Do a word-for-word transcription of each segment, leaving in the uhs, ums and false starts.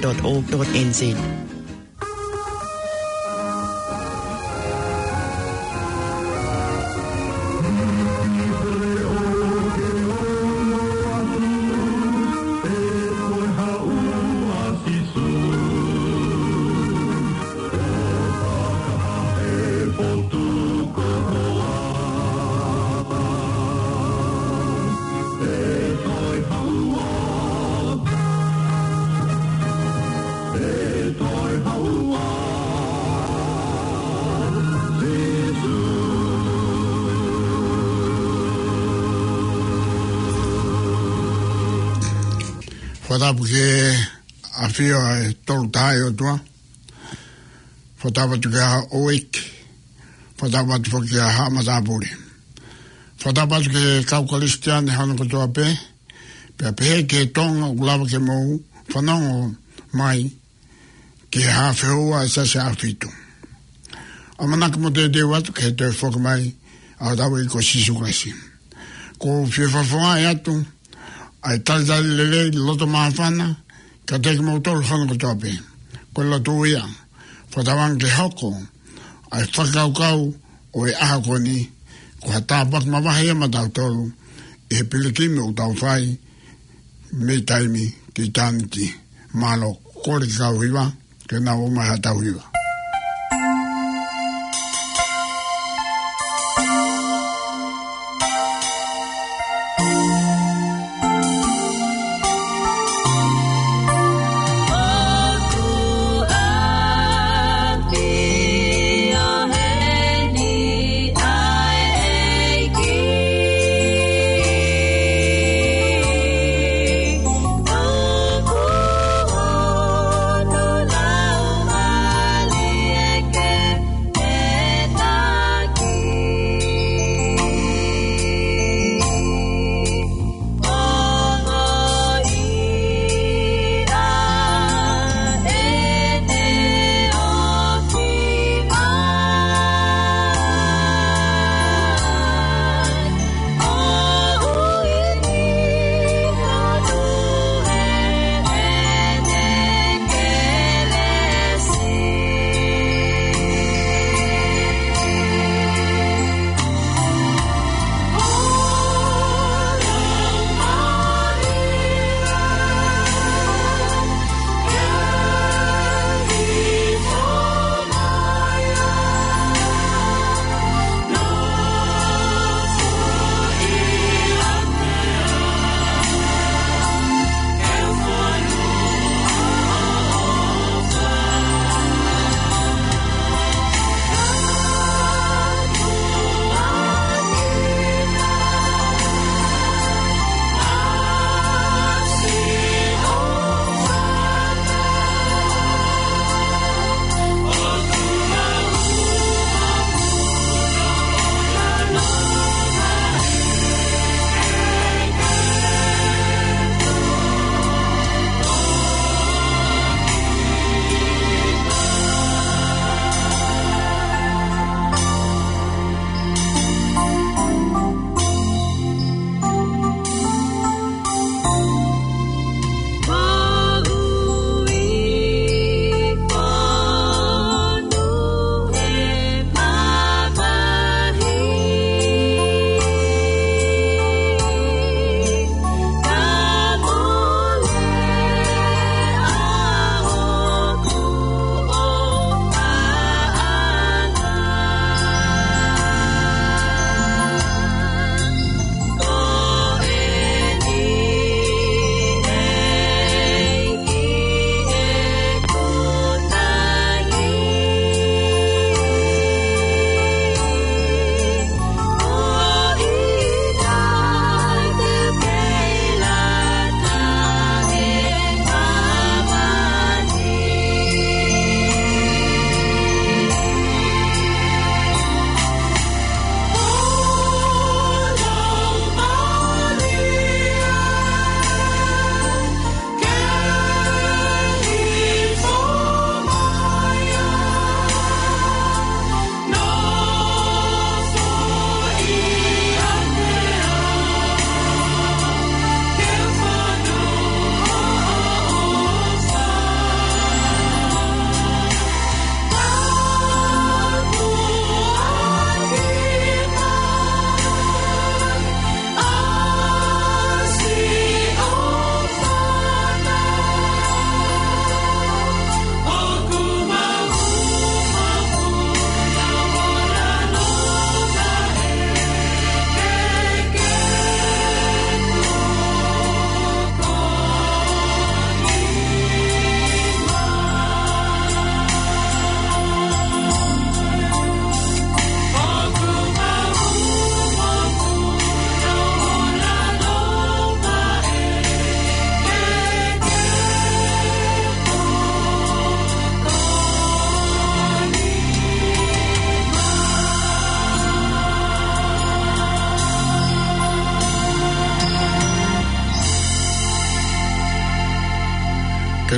dot org dot N Z. Fakatapu ki he ʻafio ʻa e Tolu Tahaʻi ʻOtua. Fakatapu atu ki he ʻOiki. Fakatapu atu foki ki he Haʻa Matāpule. Fakatapu atu ki he kau Kalisitiane hono kotoa pē. Pea pehē ki he Tonga ʻoku lava ke mou fanongo mai ki he Haʻa Feua ʻe Siasi ʻAhofitu. ʻAmanaki mo teuteu atu ki he toe foki mai ʻa hotau ʻEiki ko Sīsū Kalaisi. ʻOku ou fie fakafofongaʻi atu ʻa e talitali lelei loto māfana kiate kimoutolu hono kotoa pē. Ko e lotu ia, fakatauange ke hoko ʻa e fakakaukau ʻo e ʻaho ko eni, ko ha tāpuaki mavahe ia maʻatautolu ʻi he pilikimi ʻoku tau fai mei taimi ki ʻitāniti. Mālō, kole ke kau hiva, ke nau ō mai haʻatau hiva.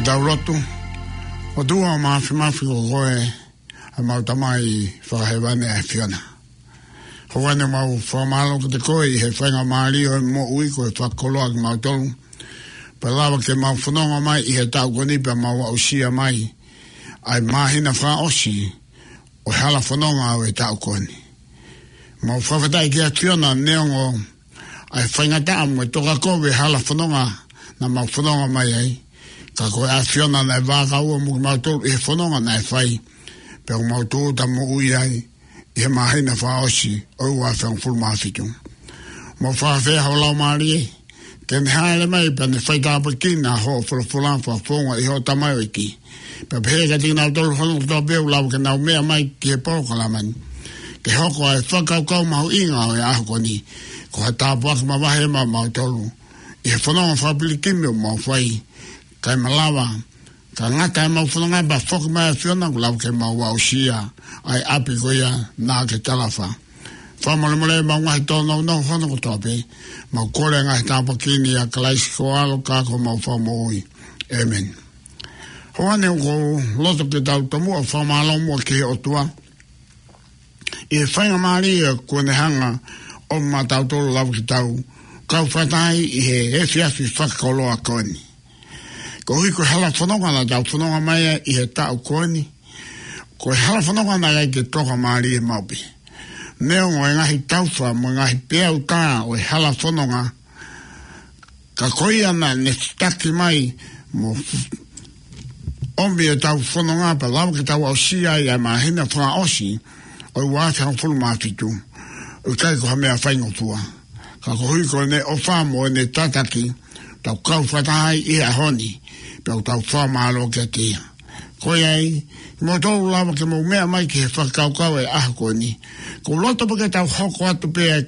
Tau lotu. ʻOtua Māfimafi, ko koe ʻa ʻemau Tamai Fakahēvani ʻa e ʻAfiona. Houʻeiki, mau fakamālō kiate koe ʻi he faingamālie ʻo e moʻui kuo ke fakakoloa kimautolu, pea lava ke mau fononga mai ʻi he taʻu ko eni pea mau aʻusia mai ʻa e māhina fakaʻosi ʻo e hala fononga ʻo e taʻu ko eni. Mau fakafetaʻi ki he ʻAfiona neongo ʻa e faingataʻa mo e tokakovi ʻo e hala fononga naʻa mau fononga mai ai, ka ko e ʻAfiona naʻe vākaua mo kimautolu ʻi he fononga naʻe fai, pea ʻoku mau tūʻuta moʻui ai ʻi he māhina fakaʻosi ʻo e ua afe hongofulu mā fitu. Mau fakafeʻao ho Laumālie ke ne hāʻele mai pea ne faitāpuekina hoʻo folofola fakafofonga ʻi hoʻo tamaioʻeiki, pea pehē kiate kinautolu hono kotoa pē ʻoku lava ke nau meʻa mai ki he polokalama ni, ke hoko ʻa e fakakaukau mahuʻinga ʻo e ʻaho ko eni ko ha tāpuaki mavahe maʻamautolu ʻi he fononga fakapilikimi ʻoku mau fai, kae malava ka ngata ʻemau fononga pea foki mai ʻa e ʻAfiona kuo lava ke mau aʻusia ʻa e ʻapi ko ia naʻa ke talaʻofa. Fakamolemole ʻemau ngaahi tōnounou hono kotoa pē, mau kole ʻa e ngaahi tāpuaki ni ʻia Kalaisi ko ho ʻAlo ka ko homau Fakamoʻui. ʻĒmeni. Houʻeiki, ʻoku ou loto ke tau tomuʻa fakamālō muʻa ki he ʻOtua ʻi he faingamālie kuo ne hanga ʻo maʻatautolu lava ke tau kau fakataha ʻi he efiafi fakakoloa ko eni. Koeʻuhi ko e hala fononga naʻa tau fononga mai ai ʻi he taʻu ko eni, ko e hala fononga naʻe ʻikai ke toka mālie maʻu pē. Neongo e ngaahi taufa mo e ngaahi peau tā ʻo e hala fononga, ka ko ia naʻa ne taki mai mo ʻomi ʻetau fononga pea lava ke tau aʻusia ai ʻa e māhina fakaʻosi ʻo e ua afe hongofulu mā fitu, ʻoku ʻikai ko ha meʻa faingofua. Ka koeʻuhi ko ʻene ʻofa mo ʻene tataki, tau kau fakataha ai ʻi he ʻaho ni, pea ʻoku tau fakamālō kiate ia. Ko ia ai, mou tau lava ke mou meʻa mai ki he fakakaukau ʻo e ʻaho ko eni, ʻoku ou loto pē ke tau hoko atu pē ʻa e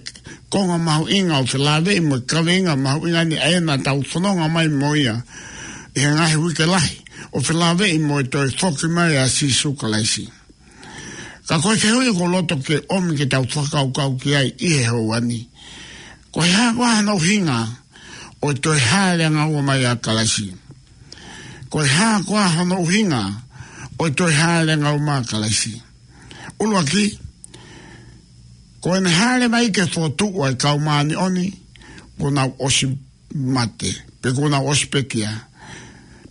konga mahuʻinga ʻo felāveʻi mo e kaveinga mahuʻinga ni ʻa ia naʻa tau fononga mai mo ia ʻi he ngaahi uike lahi, ʻo felāveʻi mo e toe foki mai ʻa Sīsū Kalaisi. Ka ko e fehuʻi ʻoku ou loto ke ʻomi ke tau fakakaukau ki ai ʻi he houa ni: Ko e hā koā hono ʻuhinga ʻo e toe hāʻele angaua mai ʻa Kalaisi? Ko e hā koā hono ʻuhinga ʻo e toe hāʻele angaua mai ʻa Kalaisi? ʻUluaki, ko ʻene hāʻele mai ke fokotuʻu ʻa e kau māʻoniʻoni kuo nau ʻosi mate, pe kuo nau ʻosi pekia,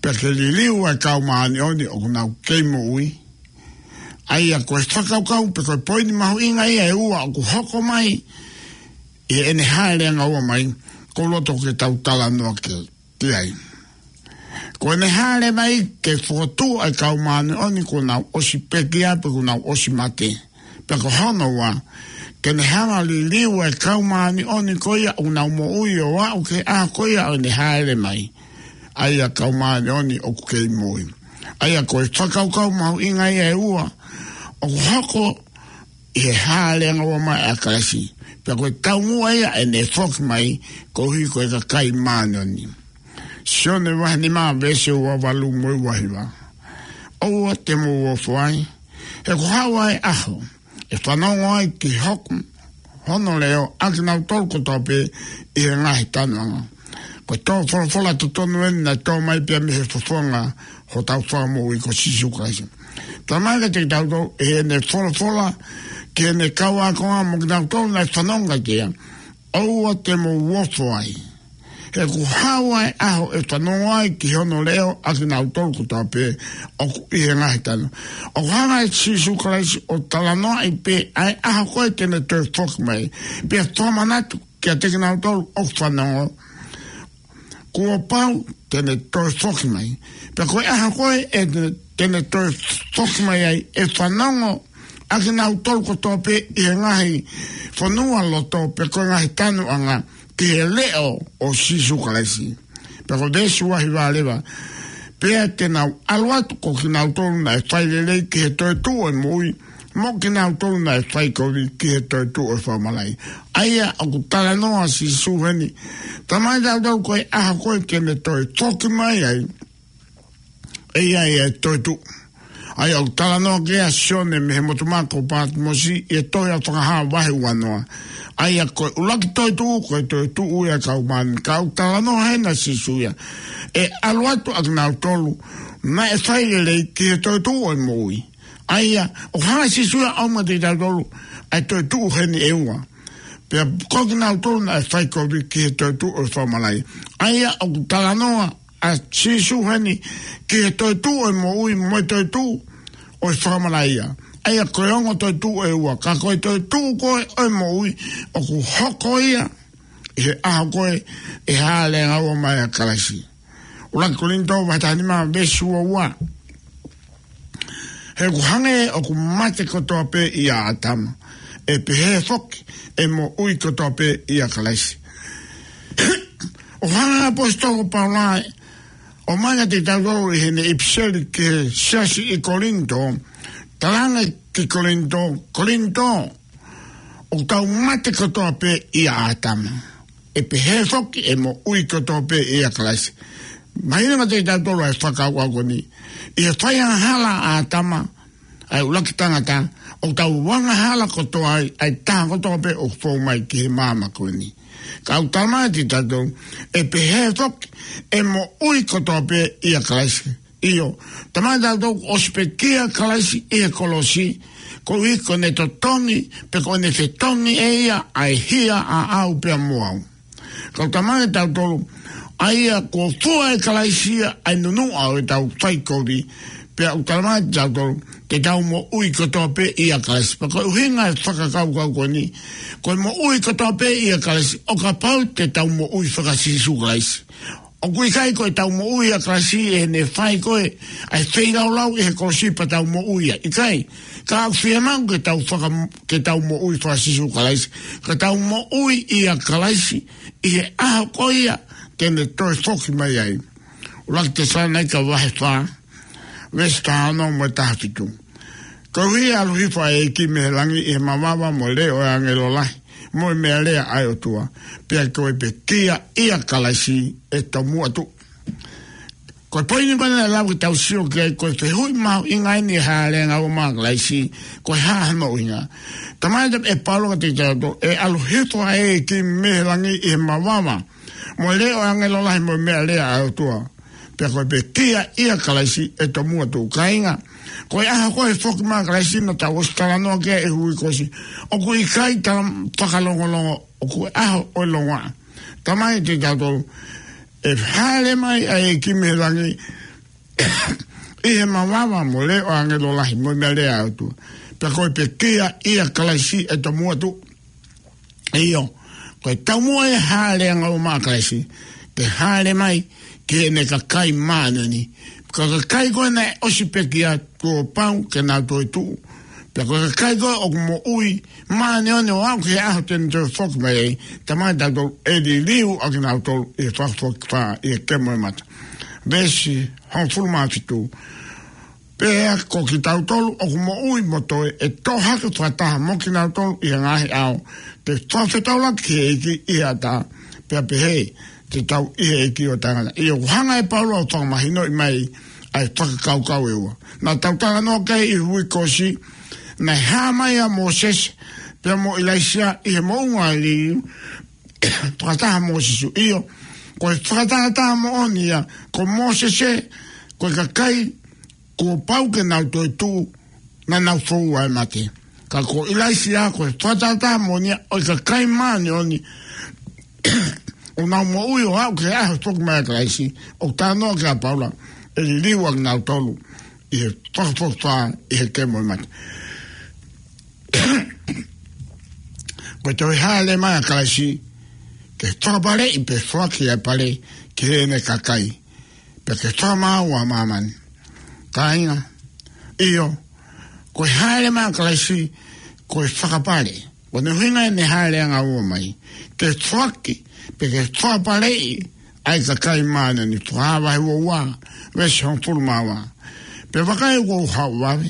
pea ke liliu ʻa e kau māʻoniʻoni ʻoku nau kei moʻui. ʻA ia ko e fakakaukau pe ko e poini mahuʻinga ia ʻe ua ʻoku hoko mai ʻi heʻene hāʻele angaua mai, ʻoku ou loto ke tau talanoa ki, ki ai. Ko ʻene hāʻele mai ke fokotuʻu ʻa e kau māʻoniʻoni kuo nau ʻosi pekia pe kuo nau ʻosi mate. Pea ko hono ua, ke ne hanga ʻo liliu ʻa e kau māʻoniʻoni ko ia ʻoku nau moʻui ʻo aʻu ki he ʻaho ko ia ʻo ʻene hāʻele mai, ʻa ia kau māʻoniʻoni ʻoku kei moʻui. ʻA ia ko e fakakaukau mahuʻinga ia ʻe ua ʻoku hoko ʻi he hāʻele angaua mai ʻa Kalaisi. Pea ko e taumuʻa ia ʻene foki mai koeʻuhi ko e kakai māʻoniʻoni. Sione vahe nima veesi ua valu mo e ua hiva: ʻOua te mou ofo ai, he kuo haʻu ʻa e ʻaho ʻe fanongo ai ki hoku, hono leʻo ʻa kinautolu kotoa pē ʻi he ngaahi tanuʻanga. Ko e tō folofola totonu eni naʻe tō mai pē ia mei he fofonga hotau Fakamoʻui ko Sīsū Kalaisi. Talamai kiate kitautolu ʻe heʻene folofola ki heʻene kau ākonga mo kinautolu naʻe fanongo kiate ia: ʻOua te mou ofo ai, he kuo haʻu ʻa e ʻaho ʻe fanongo ai ki hono leʻo ʻa kinautolu kotoa pē ʻoku ʻi he ngaahi tanu. ʻOku hanga ʻe Sīsū Kalaisi ʻo talanoaʻi pē ʻa e ʻaho ko ē te ne toe foki mai, pea fakamanatu kiate kinautolu ʻoku fanongo, kuo pau te ne toe foki mai. Pea ko e ʻaho ko ē ʻe te ne, te ne toe foki mai ai, ʻe fanongo ʻa kinautolu kotoa pē ʻi he ngaahi fonualoto pe ko e ngaahi tanuʻanga ki he leʻo ʻo Sīsū Kalaisi. Pea ko e veesi ua hiva leva: Pea te nau ʻalu atu ko kinautolu naʻe fai lelei ki he toetuʻu ʻo e moʻui, mo kinautolu naʻe fai kovi ki he toetuʻu ʻo e fakamalaʻi. ʻA ia ʻoku talanoa Sīsū heni, talamai kiate kitautolu ko e ʻaho ko ē te ne toe foki mai ai, ʻe ʻi ai ʻa e toetuʻu. ʻA ia ʻoku talanoa ki ai ʻa Sione mei he motu mā ko Pātimosi ʻi he tohi ʻa Fakahā vahe ua noa. ʻA ia ko e ʻuluaki toetuʻu, ko e toetuʻu ia ʻa e kau māʻoniʻoni. Ka ʻoku talanoa heni ʻa Sīsū ia, ʻe ʻalu atu ʻa kinautolu naʻe fai lelei ki he toetuʻu ʻo e moʻui. ʻA ia, ʻoku hanga ʻe Sīsū ia ʻo ʻomai kiate kitautolu ʻa e toetuʻu heni ʻe ua. Pea ko kinautolu naʻe fai kovi ki he toetuʻu ʻo e fakamalaʻia. ʻA ia, ʻoku talanoa ʻa Sīsū heni ki he toetuʻu ʻo e moʻui mo e toetuʻu ʻo e fakamalaʻia. ʻA ia, ko e ongo toetuʻu ʻe ua, ka ko e toetuʻu ko ē ʻo e moʻui, ʻoku hoko ia ʻi he ʻaho ko ē ʻe hāʻele angaua mai ʻa Kalaisi. ʻUluaki Kolinitō vahe taha nima veesi ua ua. He ʻoku hangē ʻoku mate kotoa pē ʻia ʻĀtama, ʻe pehē foki ʻe moʻui kotoa pē ʻia Kalaisi. ʻOku hanga ʻe he ʻaposetolo ko Paula ʻo ʻomai kiate kitautolu ʻi heʻene ʻipiseli ki he siasi ʻi Kolinitō, talaange ki Kolinitō, Kolinitō, ʻoku tau mate kotoa pē ʻia ʻĀtama, ʻe pehē foki ʻe moʻui kotoa pē ʻia Kalaisi. Mahino kiate kitautolu ʻa e fakakaukau ko eni. ʻI he fai angahala ʻa ʻĀtama, ʻa e ʻuluaki tangata, ʻoku tau angahala kotoa ai, ʻa e taha kotoa pē ʻoku fou mai ki he māmani ko eni. Ka ʻoku talamai kiate kitautolu, ʻe pehē foki ʻe moʻui kotoa pē ʻia Kalaisi. ʻIo, talamai kiate kitautolu ʻosi pekia ʻa Kalaisi ʻi he kolosi, koeʻuhi ko ʻene totongi, pe ko ʻene fetongi ʻe ia ʻa e hia ʻaʻau pea mo au. Ka ʻoku talamai kiate kitautolu, ʻa ia kuo fua ʻe Kalaisi ia ʻa e nunuʻa ʻo ʻetau fai kovi, pea ʻoku talamai kiate kitautolu, te tau moʻui kotoa pē ʻia Kalaisi. Pea ko e ʻuhinga e fakakaukau ko eni, ko e moʻui kotoa pē ʻia Kalaisi, ʻo kapau te tau moʻui faka-Sīsū Kalaisi. ʻOku ʻikai ko ʻetau moʻui ʻia Kalaisi ʻi heʻene fai ko ē ʻa e feilaulau ʻi he kolosi pea tau moʻui ai. ʻIkai, ka ʻoku fiemaʻu ke tau faka-, ke tau moʻui faka-Sīsū Kalaisi. Ka tau moʻui ʻia Kalaisi ʻi he ʻaho ko ia te ne toe foki mai ai. ʻUluaki Tesalonaika vahe fā, veesi taha ono mo e taha fitu. Koeʻuhi ʻe ʻalu hifo ʻa e ʻEiki mei he langi ʻi he mavava mo e leʻo ʻo e ʻāngelo lahi, mo e meʻalea ʻa e ʻOtua, pea ko e pekia ʻia Kalaisi ʻe tomuʻa tuʻu. Ko e poini ko ē naʻe lava ke tau sio ki ai, ko e fehuʻi mahuʻinga eni ʻa e hāʻele angaua mai ʻa Kalaisi, ko e hā hono ʻuhinga. Talamai ʻe Paula kiate kitautolu, ʻe ʻalu hifo ʻa e ʻEiki mei he langi ʻi he mavava, mo e leʻo ʻo e ʻāngelo lahi mo e meʻalea ʻa e ʻOtua, pea ko e pekia ʻia Kalaisi ʻe tomuʻa tuʻu. Kāinga, ko e ʻaho ko ē ʻe foki mai ai ʻa Kalaisi naʻa tau ʻosi talanoa ki ai ʻi he uike kuo ʻosi, ʻoku ʻikai tala fakalongolongo, ʻoku ʻi he ʻaho ʻo e longoaʻa. Talamai kiate kitautolu, ʻe hāʻele mai ʻa e ʻEiki mei he langi ʻi he mavava mo e leʻo ʻo e ʻāngelo lahi mo e meʻalea ʻa e ʻOtua, pea ko e pekia ʻia Kalaisi ʻe tomuʻa tuʻu. ʻIo, ko e taumuʻa ʻo e hāʻele angaua mai ʻa Kalaisi, ke hāʻele mai ki heʻene kakai māʻoniʻoni. Ko e kakai ko ē naʻe ʻosi pekia, kuo pau ke nau toe tuʻu. Pea ko e kakai ko ē ʻoku moʻui māʻoniʻoni ʻo aʻu ki he ʻaho te ne toe foki mai ai, talamai kiate kitautolu, ʻe liliu ʻa kinautolu ʻi he fakafokifā ʻi he kemo ʻo e mata. Veesi hongofulu mā fitu. Pea ko kitautolu ʻoku moʻui mo toe, ʻe toʻo hake fakataha mo kinautolu ʻi he ngaahi ʻao, ke fakafetaulaki ki he ʻEiki ʻi he ʻatā, pea pehē te tau ʻi he ʻEiki ʻo taʻengata. ʻIo, ʻoku hanga ʻe Paula ʻo fakamahinoʻi mai ʻa e fakakaukau ʻe ua. Naʻa tau talanoa ki ai ʻi he uike kuo ʻosi, naʻe hā mai ʻa Mōsese pea mo ʻIlaisiā ʻi he moʻunga ʻo e liliu fakataha mo Sīsū. ʻIo, ko e fakatahataha moʻoni ia, ko Mōsese, ko e kakai kuo pau ke nau toe tuʻu, naʻa nau foua ʻe he mate. Ka ko ʻIlaisiā ko e fakatahataha moʻoni ia ʻo e kakai māʻoniʻoni ʻoku nau moʻui ʻo aʻu ki he ʻaho foki mai ʻa Kalaisi, ʻoku talanoa ki ai ʻa Paula, ʻe liliu ʻa kinautolu ʻi he fakafokifā ʻi he kemo ʻo e mata. Ko e toe hāʻele mai ʻa Kalaisi ke fakapaleʻi pe foaki ʻa e pale ki heʻene kakai, pea ke fakamaau ʻa māmani. Kāinga, ʻio, ko e hāʻele mai ʻa Kalaisi ko e fakapale. Ko hono ʻuhinga ʻene hāʻele angaua mai, ke foaki, pe ke fakapaleʻi ʻa e kakai māʻoniʻoni. Fakahā vahe ua ua, veesi hongofulu mā ua. Pea vakai, ʻoku ou haʻu vave,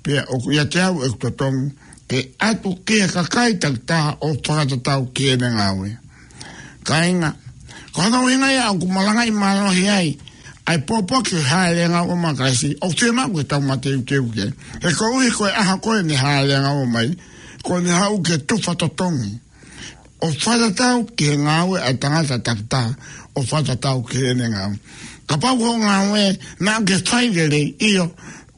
pea ʻoku ʻiate au ʻeku totongi, ke ʻatu ki he kakai takitaha ʻo fakatatau ki heʻene ngāue. Kāinga, ko hono ʻuhinga ia ʻoku malangaʻi mālohi ai ʻa e pōpoaki ʻo e hāʻele angaua mai ʻa Kalaisi, ʻoku fiemaʻu ke tau mateuteu ki ai. He koeʻuhi ko e ʻaho ko ē ʻene hāʻele angaua mai, ko ʻene haʻu ke tufa totongi. ʻo fakatatau ki he ngāue ʻa e tangata takitaha, ʻo fakatatau ki heʻene ngāue. Kapau ko e ngāue naʻa ke fai lelei, ʻio,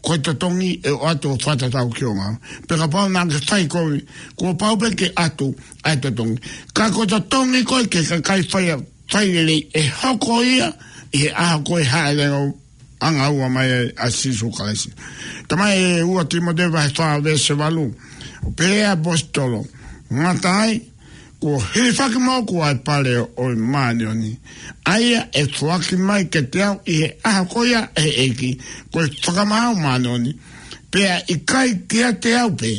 ko e totongi ʻe ʻoatu ʻo fakatatau ki hoʻo ngāue. Pea kapau naʻa ke fai kovi, kuo pau pē ke ʻatu ʻa e totongi. Ka ko e totongi ko ē ki he kakai fai, fai lelei ʻe hoko ia ʻi he ʻaho ko ē ʻe hāʻele angaua mai ai ʻa Sīsū Kalaisi. Talamai ʻe ua Tīmote vahe fā veesi valu, pehē ʻe he ʻaposetolo, ngata ai, kuo hilifaki moʻoku ʻa e pale ʻo e māʻoniʻoni, ʻa ia ʻe foaki mai kiate au ʻi he ʻaho ko ia ʻe he ʻEiki, ko e fakamaau māʻoniʻoni, pea ʻikai kiate au pē,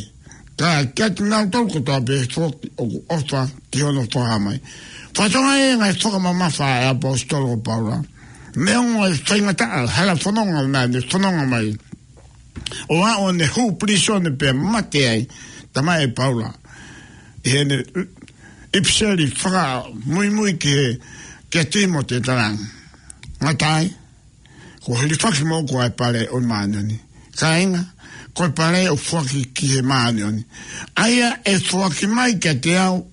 ka kiate kinautolu kotoa pē foki ʻoku ʻofa ki hono fakahā mai. Fakatokangaʻi e ngaahi fakamamafa ʻa e ʻaposetolo ko Paula. Neongo e faingataʻa, hala fononga naʻa ne fononga mai, ʻo aʻu ʻo ne hū pilīsone pea mate ai, talamai ʻe Paula ʻi heʻene ʻipiseli fakamuimui ki he, kia Tīmote, talamai, ngata ai, kuo hilifaki moʻoku ʻa e pale ʻo e māʻoniʻoni. Kāinga, ko e pale ʻoku foaki ki he māʻoniʻoni, ʻa ia ʻe foaki mai kiate au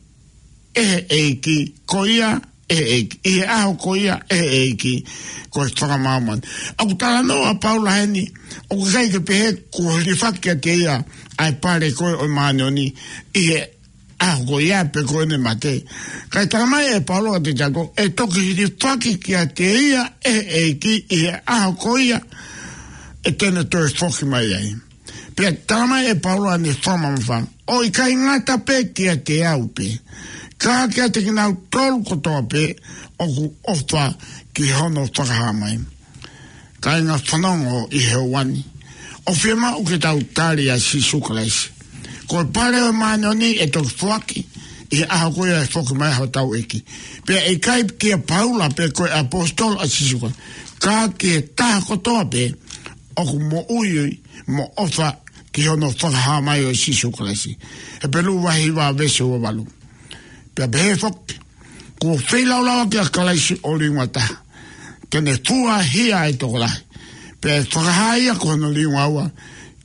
ʻe he ʻEiki, ko ia ʻe he ʻEiki, ʻi he ʻaho ko ia ʻe he ʻEiki, ko e fakamaau māʻoniʻoni. ʻOku talanoa ʻa Paula heni, ʻoku ʻikai ke pehē kuo hilifaki kiate ia ʻa e pale ko ē ʻo e māʻoniʻoni ʻi he ʻaho ko ia pe ko ʻene mate. Kae talamai ʻe Paula kiate kitautolu, ʻe toki hilifaki kiate ia ʻe he ʻEiki ʻi he ʻaho ko ia ʻe te ne toe foki mai ai. Pea talamai ʻe Paula ʻene fakamamafa, ʻo ʻikai ngata pē kiate au pē, ka kiate kinautolu kotoa pē ʻoku ʻofa ki hono fakahā mai. Kāinga, fanongo ʻi he ʻaho ni, ʻoku fiemaʻu ke tau tali ʻa Sīsū Kalaisi. Ko e pale ʻo e māʻoniʻoni ʻe toki foaki ʻi he ʻaho ko ia ʻe foki mai ai hotau ʻEiki. Pea ʻikai kia Paula pē ko e ʻaposetolo ʻa Sīsū Kalaisi, ka ki he taha kotoa pē ʻoku moʻui mo ʻofa ki hono fakahā mai ʻo Sīsū Kalaisi. Hepelū vahe hiva veesi ua valu. Pea pehē foki, kuo feilaulau ʻaki ʻa Kalaisi ʻo liunga taha, ke ne fua hia ʻa e tokolahi, pea ʻe fakahā ia ko hono liunga ua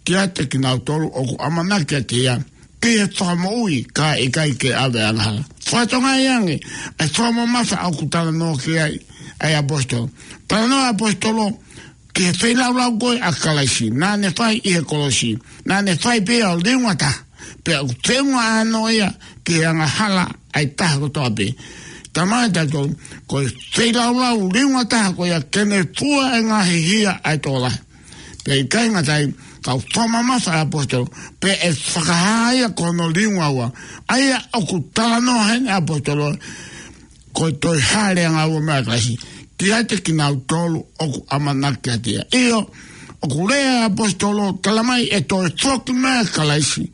kiate kinautolu ʻoku ʻamanaki kiate ia, ki he fakamoʻui, ka ʻikai ke ʻave angahala. Fakatokangaʻi ange ʻa e fakamamafa ʻoku talanoa ki ai ʻa e ʻaposetolo. Talanoa ʻaposetolo ki he feilaulau ko ē ʻa Kalaisi naʻa ne fai ʻi he kolosi, naʻa ne fai pē ia ʻo liunga taha, pea ʻoku feʻunga ʻānoa ia ki he angahala ʻa e taha kotoa pē. Talamai ʻe tautolu, ko e feilaulau liunga taha ko ia ke ne fua e ngaahi hia ʻa e tokolahi. Pea ʻikai ngata ai, ka ʻoku fakamamafa ʻa e ʻaposetolo, pea ʻe fakahā ia ko hono liunga ua. ʻA ia ʻoku talanoa heni ʻa e ʻaposetolo, ko e toe hāʻele angaua mai ʻa Kalaisi kiate kinautolu ʻoku ʻamanaki kiate ia. ʻIo, ʻoku lea ʻa e ʻaposetolo, talamai ʻe toe foki mai ʻa Kalaisi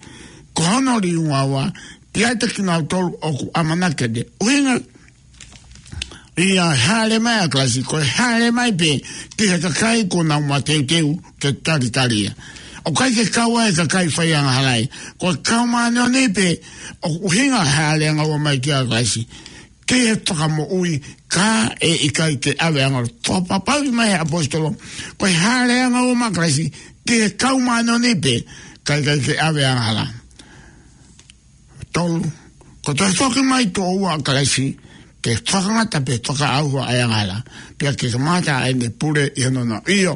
ko hono liunga ua kiate kinautolu ʻoku ʻamanaki kiate ia. ʻUhinga ia hāʻele mai ʻa Kalaisi, ko e hāʻele mai pē ki he kakai kuo nau mateuteu ke talitali ia. ʻOku ʻikai ke kau ai e kakai faiangahala ia. Ko e kau māʻoniʻoni pē ʻoku ʻuhinga hāʻele angaua mai kia Kalaisi, ki he fakamoʻui, ka ʻe ʻikai ke ʻave angahala. Fakapapauʻi mai ʻe he ʻaposetolo, ko e hāʻele angaua mai ʻa Kalaisi ki he kau māʻoniʻoni pē, ka ʻikai ke ʻave angahala. Tolu, ko e toe foki mai tuʻo ua ʻa Kalaisi, ke fakangata pea fakaʻauha ʻa e angahala, pea ke kamata ʻa ʻene pule ʻi hono nau. ʻIo,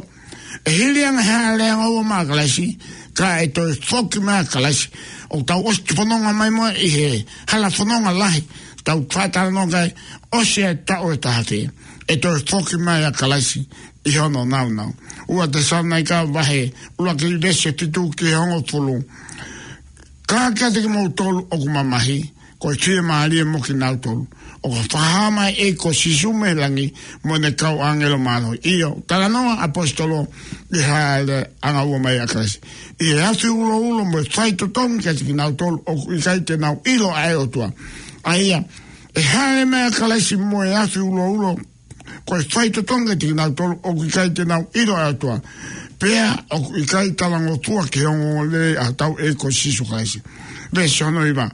ʻe hili ange e hāʻele angaua mai ʻa Kalaisi, ka ʻe toe foki mai ʻa Kalaisi. ʻOku tau ʻosi fononga mai mo ia ʻi he hala fononga lahi, tau fakatalanoa ki ai, ʻosi e taʻu ʻe taha pē, ʻe toe foki mai ʻa Kalaisi ʻi hono nāunau. Ua Tesalonaika vahe ʻuluaki veesi fitu ki he hongofulu. Ka kiate kimoutolu ʻoku mamahi, ko e fiemālie mo kinautolu ʻoku fakahā mai ʻe he ʻEiki ko Sīsū mei langi mo ʻene kau ʻāngelo mālohi. ʻIo, talanoa ʻaposetolo ki he hāʻele angaua mai ʻa Kalaisi, ʻi he afi uloulo mo e faitotongi kiate kinautolu ʻoku ʻikai te nau ʻilo ʻa e ʻOtua. ʻA ia, ʻe hāʻele mai ʻa Kalaisi mo e afi uloulo, ko e faitotongi kiate kinautolu ʻoku ʻikai te nau ʻilo ʻa e ʻOtua, pea ʻoku ʻikai talangofua ki he ongoongolelei ʻa hotau ʻEiki ko Sīsū Kalaisi. Veesi hono hiva.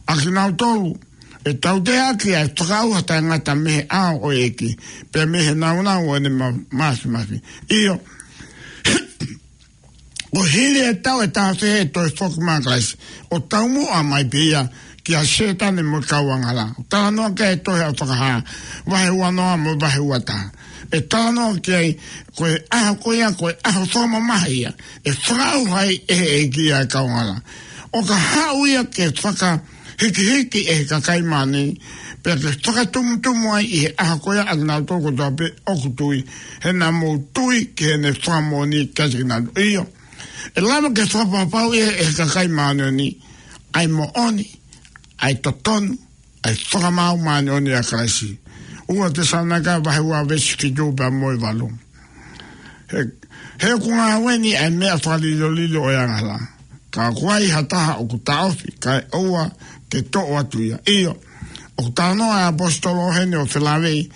ʻA kinautolu ʻe tauteaʻaki ʻa e fakaʻauha taʻengata mei he ʻao ʻo e ʻEiki, pea mei he nāunau ʻo ʻene ma-, māfimafi. ʻIo, ʻo hili e taʻu ʻe taha pē ʻe toe foki mai ʻa Kalaisi, ʻo taumuʻa mai pē ia kia Sētane mo e kau angahala. Talanoa ki ai e tohi ʻa Fakahā, vahe uanoa mo e vahe uataha. ʻE talanoa ki ai, ko e ʻaho ko ia, ko e ʻaho fakamamahi ia, ʻe fakaʻauha ai ʻe he ʻEiki ʻa e kau angahala. ʻO ka haʻu ia ke fakahikihiki ʻe he kakai māʻoniʻoni, pea ke fakatumutumu ai ʻi he ʻaho ko ia ʻa kinautolu kotoa pē ʻoku tui, he naʻa mou tui ki heʻene fakamoʻoni kiate kinautolu. ʻIo, ʻe lava ke fakapapauʻi ʻe he kakai māʻoniʻoni ʻa e moʻoni, ʻa e totonu, ʻa e fakamaau māʻoniʻoni ʻa Kalaisi. Ua Tesalonaika vahe ua veesi fitu pea mo e valu. He, he ʻoku ngāue ni ʻa e meʻa fakalilolilo ʻo e angahala. Ka ʻoku ai ha taha ʻoku taʻofi, kae ʻoua ke toʻo atu ia. ʻIo, ʻoku talanoa ʻa e ʻaposetolo ʻo heni ʻo felāveʻi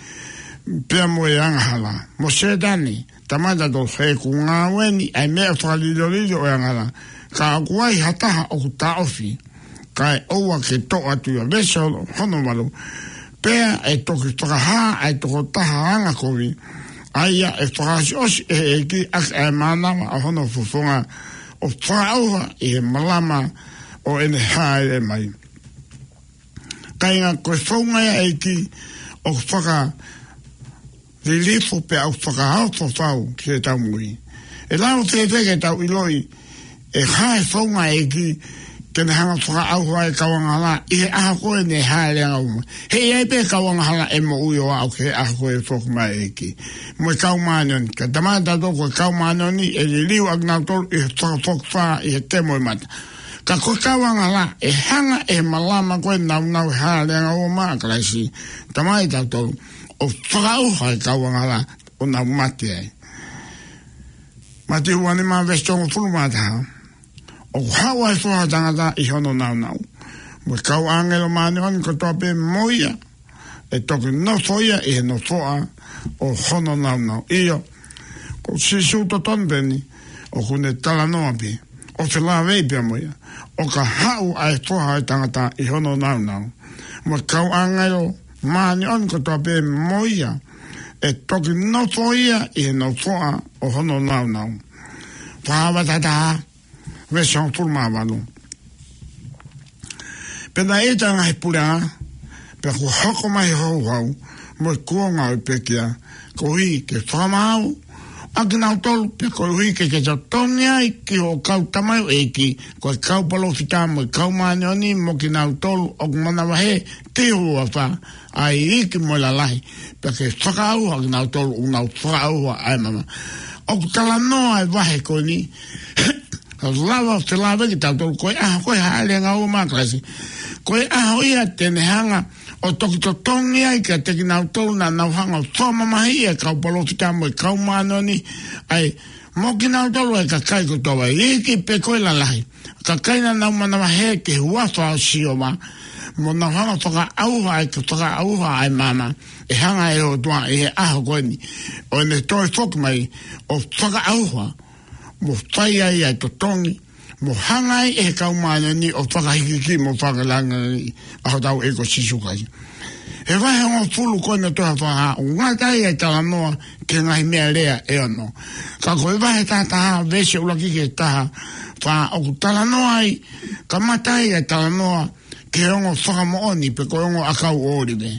pea mo e angahala. Mo Sētane, tamaʻitautolu, he ʻoku ngāue ni ʻa e meʻa fakalilolilo ʻo e angahala. Ka ʻoku ai ha taha ʻoku taʻofi, kae ʻoua ke toʻo atu ia. Veesi hono valu. Pea ʻe toki fakahā ʻa e tokotaha angakovi, ʻa ia ʻe fakaʻosiʻosi ʻe he ʻEiki ʻaki ʻa e mānava ʻo hono fofonga, ʻo fakaʻauha ʻi he malama ʻo ʻene hāʻele mai. Kāinga, ko e founga ia ʻa e ʻEiki ʻoku faka lilifu pea ʻoku fakaofo fau ki heʻetau moʻui. ʻE lava fēfē ke tau ʻiloʻi ʻe hā e founga ʻa e ʻEiki ke ne hanga ʻo fakaʻauha e kau angahala ʻi he ʻaho ko ē ʻene hāʻele angaua mai? He ʻe ʻi ai pē kau angahala ʻe moʻui ʻo aʻu ki he ʻaho ko ē ʻe foki mai ai e ʻEiki mo e kau māʻoniʻoni. Ka tamaʻitautolu, ko e kau māʻoniʻoni ʻe liliu ʻa kinautolu ʻi he fakafokifā ʻi he kemo e mata. Ka ko e kau angahala ʻe hanga ʻe he malama ko ē ʻo nāunau he hāʻele angaua mai ʻa Kalaisi, tamaʻitautolu, ʻo fakaʻauha e kau angahala ʻo nau mate ai. Mātiu uanima veesi hongofulu mā taha. ʻOku haʻu ʻa e Foha ʻo e tangata ʻi hono nāunau, mo e kau ʻāngelo māʻoniʻoni kotoa pē mo ia, ʻe toki nofo ia ʻi he nofoʻa ʻo hono nāunau. ʻIo, ko Sīsū totonu pē eni ʻoku ne talanoa pē ʻo felāveʻi pea mo ia, ʻo ka haʻu ʻa e Foha ʻo e tangata ʻi hono nāunau, mo e kau ʻāngelo māʻoniʻoni kotoa pē mo ia, ʻe toki nofo ia ʻi he nofoʻa ʻo hono nāunau. Fakahā vahe taha taha, veesi hongofulu mā valu. Pea naʻe ʻita ʻa e ngaahi puleʻanga, pea kuo hoko mai e houhau mo e kuonga ʻo e pekia, koeʻuhi ke fakamaau ʻa kinautolu, pea koeʻuhi ke ke totongi ai ki hoʻo kau tamaioʻeiki, ko e kau palōfita mo e kau māʻoniʻoni, mo kinautolu ʻoku manavahē ki ho huafa, ʻa e iiki mo e lalahi, pea ke fakaʻauha ʻa kinautolu ʻoku nau fakaʻauha ʻa e mama. ʻOku talanoa e vahe ko eni, lava felāveʻi kitautolu, ko e ʻaho ko ē hāʻele angaua mai ʻa Kalaisi, ko e ʻaho ia te ne hanga ʻo toki totongi ai kiate kinautolu naʻa nau hanga ʻo fakamamahiʻi e kau palōfita mo e kau māʻoniʻoni, ʻa e, mo kinautolu e kakai kotoa, iiki pe ko e lalahi, kakai naʻa nau manavahē ki he huafa ʻo Sihova, mo nau hanga ʻo fakaʻauha ai, ke fakaʻauha ʻa e mama, ʻe hanga ʻe he ʻOtua ʻi he ʻaho ko eni ʻo ʻene toe foki mai, ʻo fakaʻauha, mo fai ai ʻa e totongi, mo hanga ai ʻe he kau māʻoniʻoni ʻo fakahikihiki mo fakalāngilangiʻi ʻa hotau ʻEiki ko Sīsū Kalaisi. He vahe hongofulu ko eni ʻo e tohi Fakahā, ʻoku ngata ai ʻa e talanoa ki he ngaahi meʻalea ʻe ono. Ka ko e vahe taha taha, veesi ʻuluaki ki he taha fā, ʻoku talanoa ai, kamata ai ʻa e talanoa ki he ongo fakamoʻoni pe ko e ongo ʻakau ʻōlive.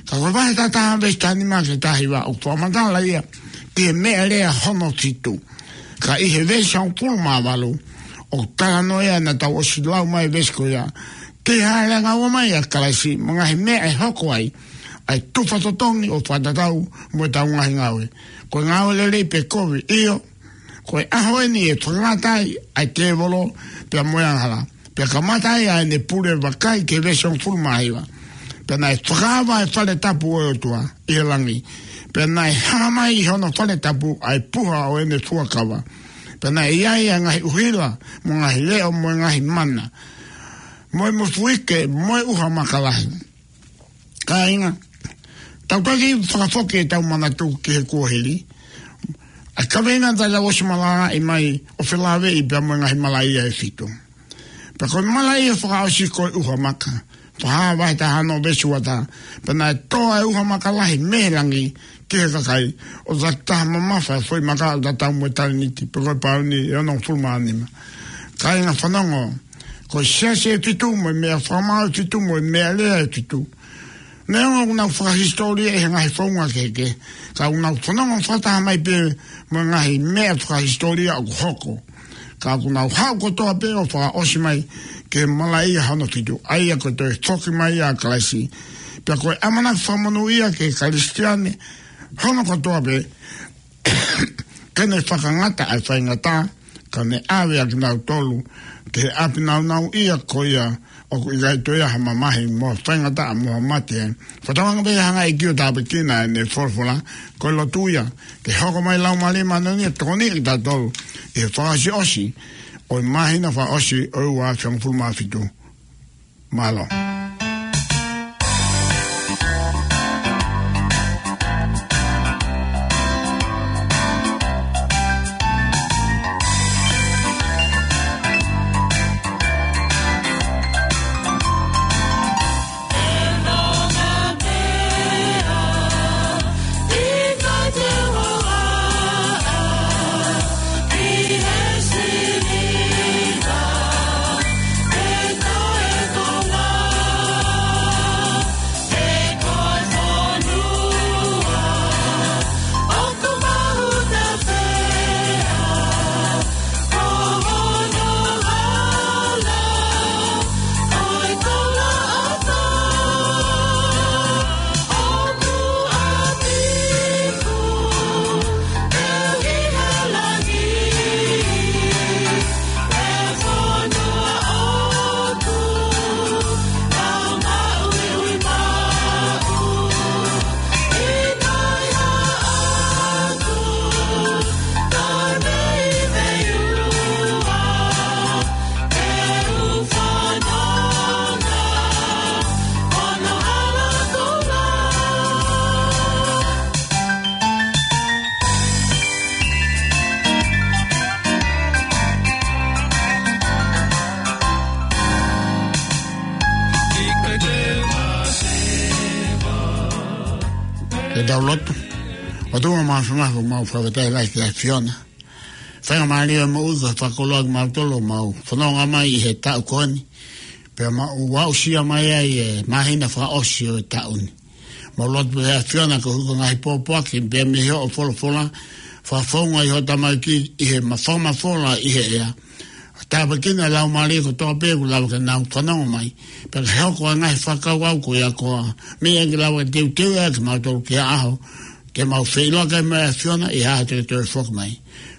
Ka ko e vahe taha taha, veesi taha nima ki he taha hiva, ʻoku fakamatala ia ki he meʻalea hono fitu. Ka ʻi he veesi hongofulu mā valu, ʻoku talanoa ia naʻa tau ʻosi lau mai e veesi ko ia, ki he hāʻele angaua mai ʻa Kalaisi, mo e ngaahi meʻa ʻe hoko ai, ʻa e tufa totongi ʻo fakatatau mo ʻetau ngaahi ngāue. Ko e ngāue lelei pe kovi, ʻio, ko e ʻaho eni ʻe fakangata ai ʻa e tēvolo pea mo e angahala. Pea kamata ai ʻa ʻene pule, vakai ki he veesi hongofulu mā hiva. Pea naʻe fakaava ʻa e fale tapu ʻo e ʻOtua ʻi he langi. Pea naʻe hā mai ʻi hono fale tapu ʻa e puha ʻo ʻene fuakava. Pea naʻe ʻi ai ʻa e ngaahi ʻuhila, mo e ngaahi leʻo, mo e ngaahi mana, mo e mofuike, mo e ʻuha maka lahi. Kāinga, tau taki fakafoki ʻetau manatu ki he kuohili, ʻa e kaveinga naʻa tau ʻosi malanga mai ʻo felāveʻi pea mo e ngaahi malaʻia ʻe fitu. Pea ko e malaʻia fakaʻosi ko e ʻuha maka. Fakahā vahe taha ono veesi ua taha. Pea naʻe tō ʻa e ʻuha maka lahi mei he langi ki he kakai, ʻo taki taha mamafa e foʻi maka ʻo tatau mo e talēniti, pe ko e pauni ʻe onongofulu mā nima. Kāinga, fanongo, Ko e siasi ʻe fitu mo e meʻa fakamaau ʻe fitu mo e meʻalea ʻe fitu. Neongo ʻoku nau fakahisitōlia ʻi he ngaahi founga kehekehe, ka ʻoku nau fanongo fakataha mai pē mo e ngaahi meʻa fakahisitōlia ʻoku hoko. Ka ʻoku nau haʻu kotoa pē ʻo fakaʻosi mai ki he malaʻia hono fitu, ʻa ia ko e toe foki mai ʻa Kalaisi. Pea ko e ʻamanaki fakamonūʻia ki he Kalisitiane hono kotoa pē, ke ne fakangata ʻa e faingataʻa, ka ne ʻave ʻa kinautolu ki he ʻapi nāunauʻia ko ia ʻoku ʻikai toe ʻi ai ha mamahi mo ha faingataʻa mo ha mate ai. Fakatauange pē ʻe hanga ʻe he ʻEiki ʻo tāpuekina ʻene folofola, ko e lotu ia ke hoko mai Laumālie Māʻoniʻoni ʻo tokoniʻi kitautolu ʻi he fakaʻosiʻosi ʻo e māhina fakaʻosi ʻo e ua afe hongofulu mā fitu. Mālō. Ke tau lotu. ʻOtua māfimafi, mau fakafetaʻi lahi ki he ʻAfiona. Faingamālie ʻo e moʻui ko e fakakoloa kimautolu ʻo mau fononga mai ʻi he taʻu ko eni. Pea mau aʻusia mai ai e māhina fakaʻosi ʻo e taʻu ni. Mau lotu pē ʻe he ʻAfiona ke hoko e ngaahi pōpoaki pea mei hoʻo folofola, fakafounga ʻi hoʻo tamaiki ʻi he ma-, fakamafola ʻi he ʻea. Tāpuekina e laumālie kotoa pē kuo lava ke nau fanongo mai. Pea ke hoko e ngaahi fakakaukau ko ia ko e meʻa ke lava ke teuteu ai kimautolu ki he ʻaho te mau feʻiloaki ai mo e ʻAfiona ʻi he ʻaho te ke toe foki mai.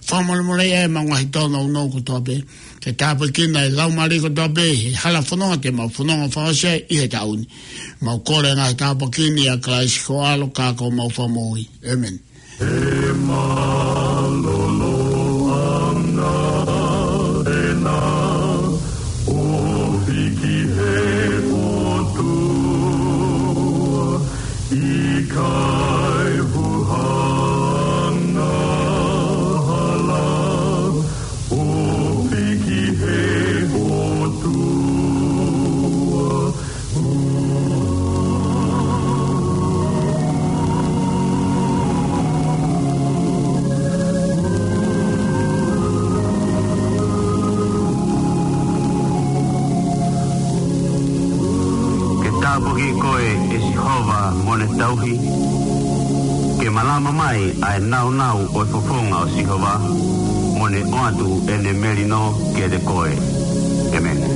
Fakamolemoleʻi ʻemau ngaahi tōnounou kotoa pē. Ke tāpuekina e laumālie kotoa pē he hala fononga te mau fononga fakaʻosi ai ʻi he taʻu ni. Mau kole e ngaahi tāpuaki ni ʻia Kalaisi ko ho ʻAlo ka ko homau Fakamoʻui. ʻĒmeni. ʻE mālōlō ʻa e ʻOtua ʻi he ʻotu, ʻikai fu hanga hala ʻo piki he ʻotu. Ke tāpuaki koe, ʻe Sihova, mo ne tauhi. Ke malama mai ʻa e nāunau ʻo e fofonga ʻo Sihova, mo ne ʻoatu ʻene melino kiate koe. ʻĒmeni.